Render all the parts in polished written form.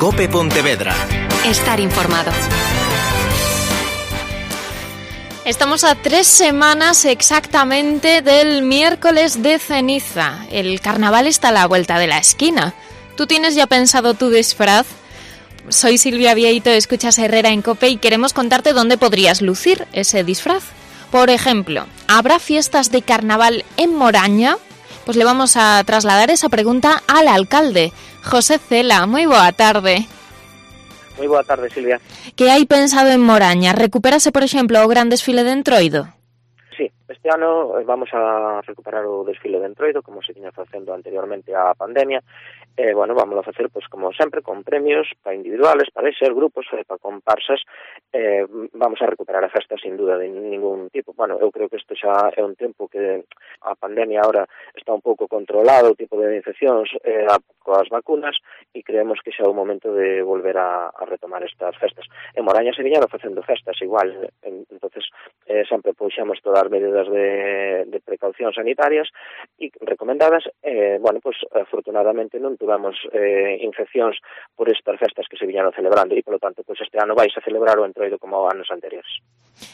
COPE Pontevedra. Estar informado. Estamos a 3 semanas exactamente del miércoles de ceniza. El carnaval está a la vuelta de la esquina. ¿Tú tienes ya pensado tu disfraz? Soy Silvia Vieito, escuchas Herrera en COPE y queremos contarte dónde podrías lucir ese disfraz. Por ejemplo, ¿habrá fiestas de carnaval en Moraña? Pues le vamos a trasladar esa pregunta al alcalde, José Cela. Moi boa tarde. Moi boa tarde, Silvia. Que hai pensado en Moraña? Recupérase, por exemplo, o gran desfile de Entroido? Sí, este ano vamos a recuperar o desfile de Entroido, como se tiña facendo anteriormente á pandemia. Vamos a facer, pois, como sempre, con premios para individuales, para ese grupos, para comparsas. Vamos a recuperar a festa sin duda de ningún tipo. Bueno, eu creo que isto xa é un tempo que a pandemia ahora está un pouco controlado, o tipo de infeccións coas vacunas, e creemos que xa é o momento de volver a retomar estas festas. En Moraña se viñeron facendo festas igual, entonces sempre puxemos todas as medidas de precaución sanitarias e recomendadas. Afortunadamente non tuvamos infeccións por estas festas que se viñeron celebrando e, polo tanto, este ano vais a celebrar o Entroido como anos anteriores.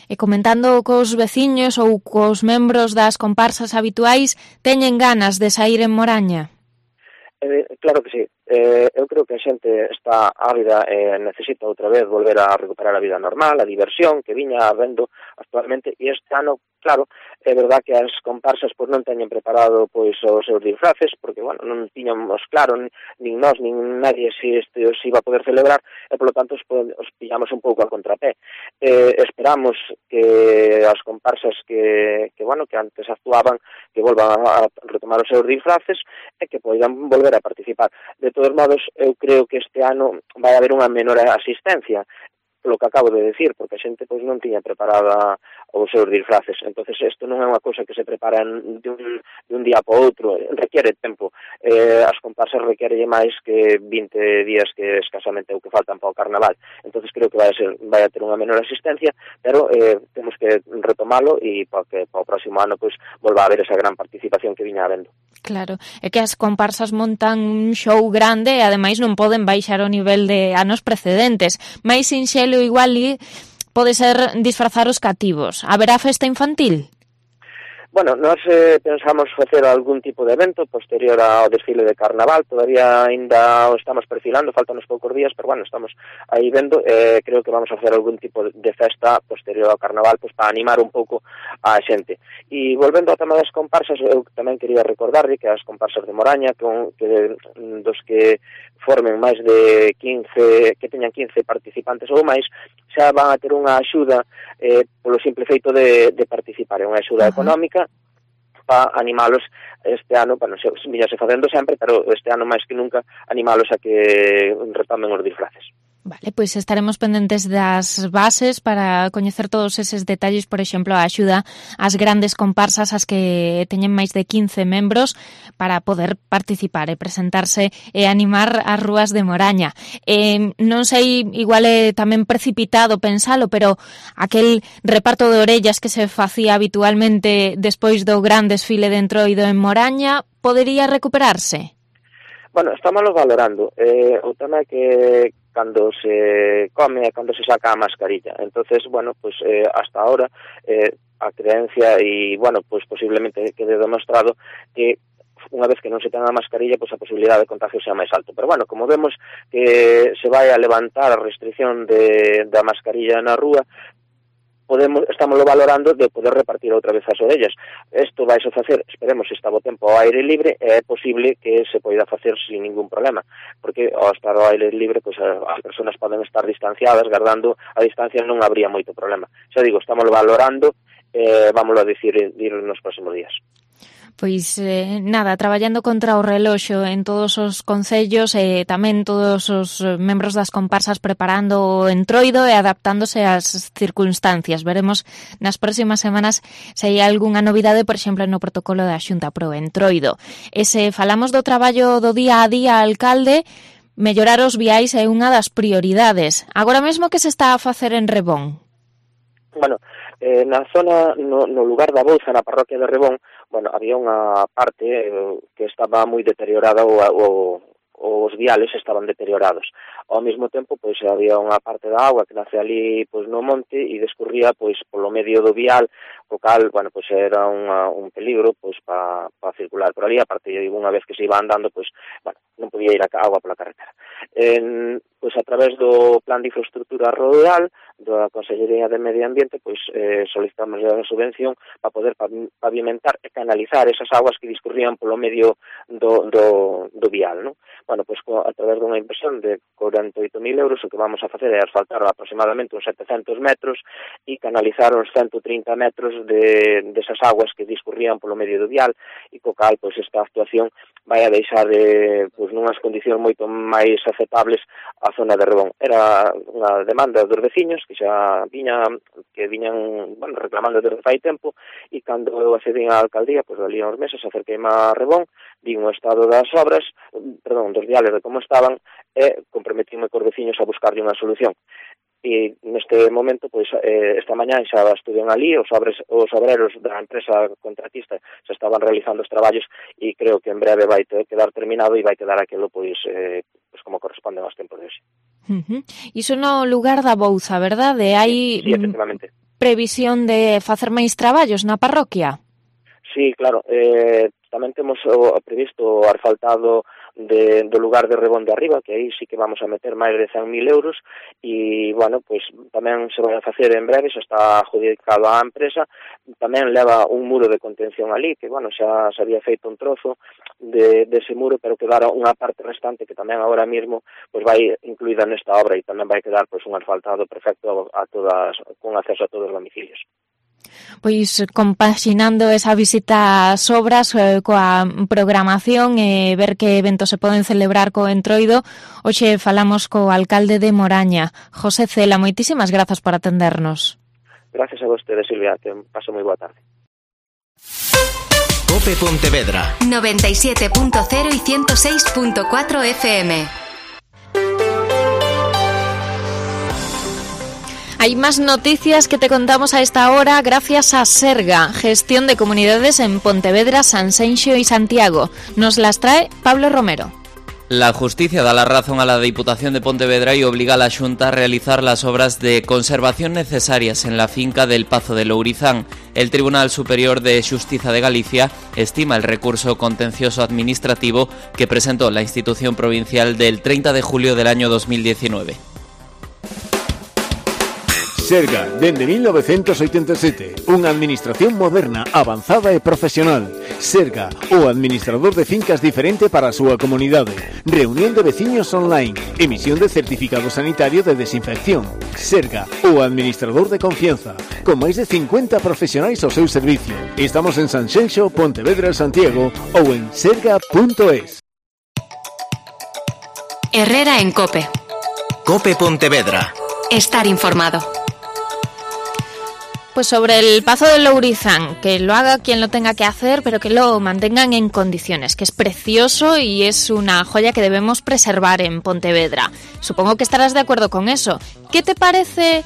E comentando cos veciños ou cos membros das comparsas habituais, teñen ganas de saír en Moraña? Claro que sí. Eu creo que a xente está ávida e necesita outra vez volver a recuperar a vida normal, a diversión que viña habendo actualmente, e este ano, claro, é verdad que as comparsas pois non teñen preparado pois os seus disfraces, porque, non tiñamos claro, nin nós, nin nadie se iba a poder celebrar, e, polo tanto, os pillamos un pouco a contrapé. Esperamos que as comparsas que antes actuaban, que volvan a retomar os seus disfraces e que poidan volver a participar. De todos modos, eu creo que este ano vai haber unha menor asistencia, polo que acabo de decir, porque a xente pois non tiña preparada os seus disfraces. Entonces, isto non é unha cousa que se prepara de un día para outro, requiere tempo. As comparsas requiere máis que 20 días que escasamente o que faltan para o carnaval. Entonces, creo que vai a ter unha menor asistencia, pero temos que retomalo e para que para o próximo ano pois volva a haber esa gran participación que viña habendo. Claro, é que as comparsas montan un show grande e ademais non poden baixar o nivel de anos precedentes. Mais sinxelo igual pode ser disfrazar os cativos. Haberá festa infantil? Nós pensamos facer algún tipo de evento posterior ao desfile de carnaval. Todavía ainda o estamos perfilando, faltan uns poucos días, pero estamos aí vendo. Creo que vamos a facer algún tipo de festa posterior ao carnaval, pois para animar un pouco a xente. E volvendo ao tema das comparsas, eu tamén quería recordarlle que as comparsas de Moraña, dos que formen máis de 15, que teñan 15 participantes ou máis, xa van a ter unha axuda polo simple feito de participar. É unha axuda económica para animalos este ano, viñase facendo sempre, pero este ano máis que nunca animalos a que retomen os disfraces. Vale, pois estaremos pendentes das bases para coñecer todos eses detalles, por exemplo, a axuda ás grandes comparsas, as que teñen máis de 15 membros, para poder participar e presentarse e animar as rúas de Moraña. Non sei, igual é tamén precipitado pensalo, pero aquel reparto de orellas que se facía habitualmente despois do gran desfile de Entroido en Moraña, podería recuperarse? Estamos valorando. O tema é que cando se come e cando se saca a mascarilla. Entonces, hasta ahora a creencia e, posiblemente quede demostrado que unha vez que non se ten a mascarilla, pois a posibilidade de contagio sea máis alto. Pero, como vemos que se vai a levantar a restricción da mascarilla na rúa, estamos valorando de poder repartir outra vez as orellas. Isto vai a facer, esperemos, se está o tempo ao aire libre, é posible que se poida facer sin ningún problema, porque ao estar ao aire libre, pois as persoas poden estar distanciadas, guardando a distancia, non habría moito problema. Xa digo, estamos valorando, vámoslo a dicir nos próximos días. Pois nada, traballando contra o reloxo en todos os concellos e tamén todos os membros das comparsas preparando o Entroido e adaptándose ás circunstancias. Veremos nas próximas semanas se hai algunha novidade, por exemplo, no protocolo da Xunta pro Entroido. E se falamos do traballo do día a día, alcalde, mellorar os viais é unha das prioridades. Agora mesmo que se está a facer en Rebón? Na zona, no lugar da Bouza, na parroquia de Rebón, había unha parte que estaba moi deteriorada o os viales estaban deteriorados. Ao mesmo tempo, pois había unha parte da auga que nace ali pois no monte e descurría pois polo medio do vial, co cal, bueno, pois era un peligro pois para circular por ali, aparte unha vez que se iba andando, pois, bueno, non podía ir a auga pola carretera. Pois a través do Plan de Infraestructura Rural da Consellería de Medio Ambiente, pois solicitamos a subvención para poder pavimentar e canalizar esas aguas que discurrían polo medio do vial, non? Bueno, pois a través dunha inversión de 48.000 euros o que vamos a facer é asfaltar aproximadamente uns 700 metros e canalizar uns 130 metros desas aguas que discurrían polo medio do vial e co cal, pois, esta actuación vai a deixar pois, nunhas condicións moito máis aceptables a zona de Rebón. Era unha demanda dos veciños que xa viñan, bueno, reclamando desde fai tempo, e cando eu accedín á alcaldía, pois ali uns meses acerqueime a Rebón, vin o estado das obras, dos viales de como estaban, e comprometíme cos veciños a buscarlle unha solución. E neste momento, pois, esta mañá xa estudian ali, os obreros da empresa contratista se estaban realizando os traballos e creo que en breve vai quedar terminado e vai quedar aquilo, pois como corresponde aos tempos de hoxe. Iso no lugar da Bouza, verdade? Hai sí, efectivamente. Previsión de facer máis traballos na parroquia? Sí, claro, tamén temos previsto o asfaltado do lugar de Rebón de Arriba, que aí sí que vamos a meter máis de 100.000 euros e, bueno, pois tamén se vai a facer en breve, xa está adjudicado á empresa, tamén leva un muro de contención ali, que, bueno, xa se había feito un trozo dese muro, pero quedara unha parte restante que tamén agora mesmo pois vai incluída nesta obra e tamén vai quedar pois un asfaltado perfecto con acceso a todos os domicilios. Pois compaxinando esa visita ás obras coa programación e ver que eventos se poden celebrar co Entroido, hoxe falamos co alcalde de Moraña, José Cela. Moitísimas grazas por atendernos. Gracias a vostede, Silvia, que paso moi boa tarde. Cope Pontevedra 97.0 y 106.4 FM. Hay más noticias que te contamos a esta hora gracias a Serga, gestión de comunidades en Pontevedra, Sanxenxo y Santiago. Nos las trae Pablo Romero. La Justicia da la razón a la Diputación de Pontevedra y obliga a la Xunta a realizar las obras de conservación necesarias en la finca del Pazo de Lourizán. El Tribunal Superior de Xustiza de Galicia estima el recurso contencioso administrativo que presentó la institución provincial del 30 de julio del año 2019. Serga, dende 1987, unha administración moderna, avanzada e profesional. Serga, o administrador de fincas diferente para a súa comunidade. Reunión de veciños online. Emisión de certificado sanitario de desinfección. Serga, o administrador de confianza. Con máis de 50 profesionais ao seu servicio. Estamos en Sanxenxo, Pontevedra, Santiago ou en serga.es. Herrera en Cope. Cope Pontevedra. Estar informado. Pues sobre el Pazo de Lourizán, que lo haga quien lo tenga que hacer, pero que lo mantengan en condiciones, que es precioso y es una joya que debemos preservar en Pontevedra. Supongo que estarás de acuerdo con eso. ¿Qué te parece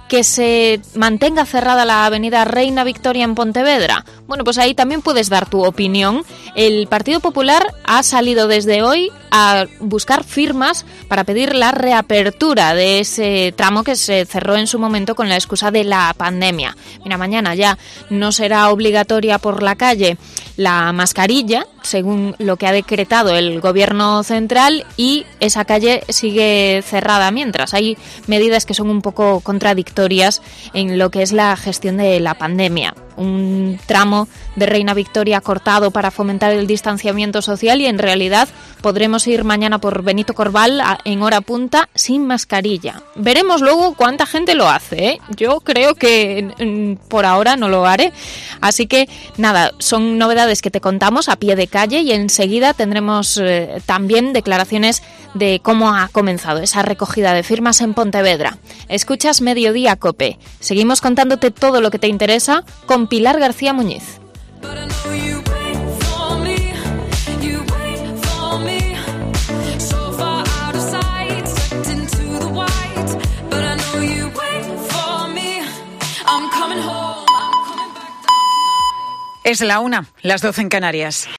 que se mantenga cerrada la avenida Reina Victoria en Pontevedra? Bueno, pues ahí también puedes dar tu opinión. El Partido Popular ha salido desde hoy a buscar firmas para pedir la reapertura de ese tramo que se cerró en su momento con la excusa de la pandemia. Mira, mañana ya no será obligatoria por la calle la mascarilla, según lo que ha decretado el Gobierno central, y esa calle sigue cerrada mientras. Hay medidas que son un poco contradictorias en lo que es la gestión de la pandemia. Un tramo de Reina Victoria cortado para fomentar el distanciamiento social y en realidad podremos ir mañana por Benito Corval en hora punta sin mascarilla. Veremos luego cuánta gente lo hace, ¿eh? Yo creo que por ahora no lo haré. Así que nada, son novedades que te contamos a pie de calle y enseguida tendremos también declaraciones de cómo ha comenzado esa recogida de firmas en Pontevedra. Escuchas Mediodía Cope. Seguimos contándote todo lo que te interesa con Pilar García Muñiz. Es la 1, las 12 en Canarias.